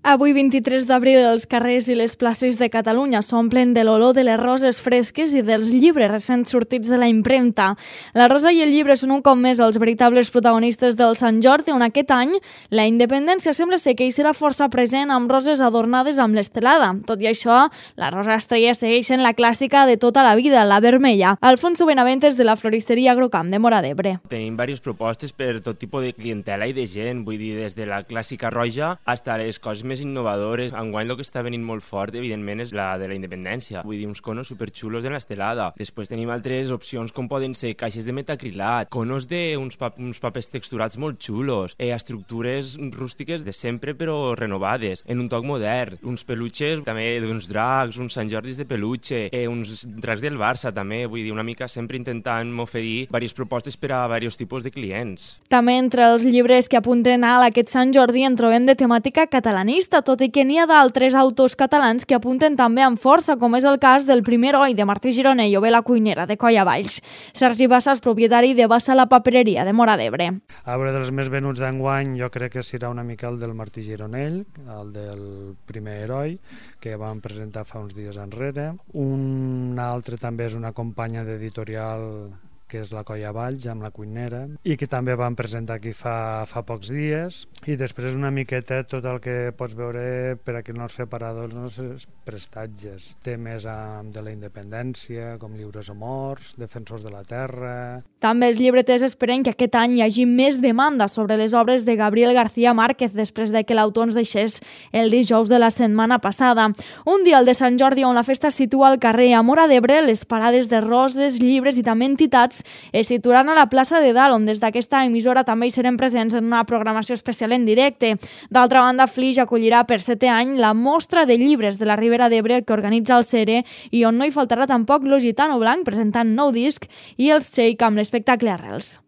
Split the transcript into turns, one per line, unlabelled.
Avui, 23 d'abril, els carrers i les places de Catalunya s'omplen de l'olor de les roses fresques i dels llibres recents sortits de la impremta. La rosa i el llibre són un cop més els veritables protagonistes del Sant Jordi, on aquest any la independència sembla ser que hi serà força present amb roses adornades amb l'estelada. Tot i això, la rosa estrella segueix sent la clàssica de tota la vida, la vermella. Alfonso Benaventes, de la floristeria Agrocamp de Móra d'Ebre.
Tenim diverses propostes per tot tipus de clientela i de gent, vull dir, des de la clàssica roja fins a les coses més innovadores. Enguany el que està venint molt fort, evidentment, és la de la independència. Vull dir, uns conos superxulos de l'estelada. Després tenim altres opcions com poden ser caixes de metacrilat, conos d'uns papers texturats molt xulos, estructures rústiques de sempre però renovades, en un toc modern, uns peluches també d'uns dracs, uns Sant Jordis de peluche, uns dracs del Barça també, vull dir, una mica sempre intentant oferir diverses propostes per a diversos tipus de clients.
També entre els llibres que apunten a aquest Sant Jordi en trobem de temàtica catalanista, tot i que n'hi ha d'altres autors catalans que apunten també amb força, com és el cas del Primer Heroi de Martí Gironell o bé La cuinera de Coll Avalls. Sergi Bassa és propietari de Bassa la papereria de Móra d'Ebre.
A veure, dels més venuts d'enguany jo crec que serà una mica el del Martí Gironell, el del Primer Heroi, que vam presentar fa uns dies enrere. Un altre també és una companya d'editorial que és la Coll Avalls, amb La cuinera, i que també vam presentar aquí fa pocs dies. I després una miqueta tot el que pots veure per aquí en els separadors, els nostres prestatges. Temes de la independència, com lliures o morts, defensors de la terra.
També els llibreters esperen que aquest any hi hagi més demanda sobre les obres de Gabriel García Márquez després de que l'autor ens deixés el dijous de la setmana passada. Un dia, el de Sant Jordi, on la festa es situa al carrer a Móra d'Ebre, les parades de roses, llibres i també entitats es situaran a la plaça de Dalt, on des d'aquesta emissora també hi serem presents en una programació especial en directe. D'altra banda, Flix acollirà per 7è any la mostra de llibres de la Ribera d'Ebre que organitza el CERE i on no hi faltarà tampoc l'Occitano Blanc presentant nou disc i el Shake amb l'espectacle Arrels.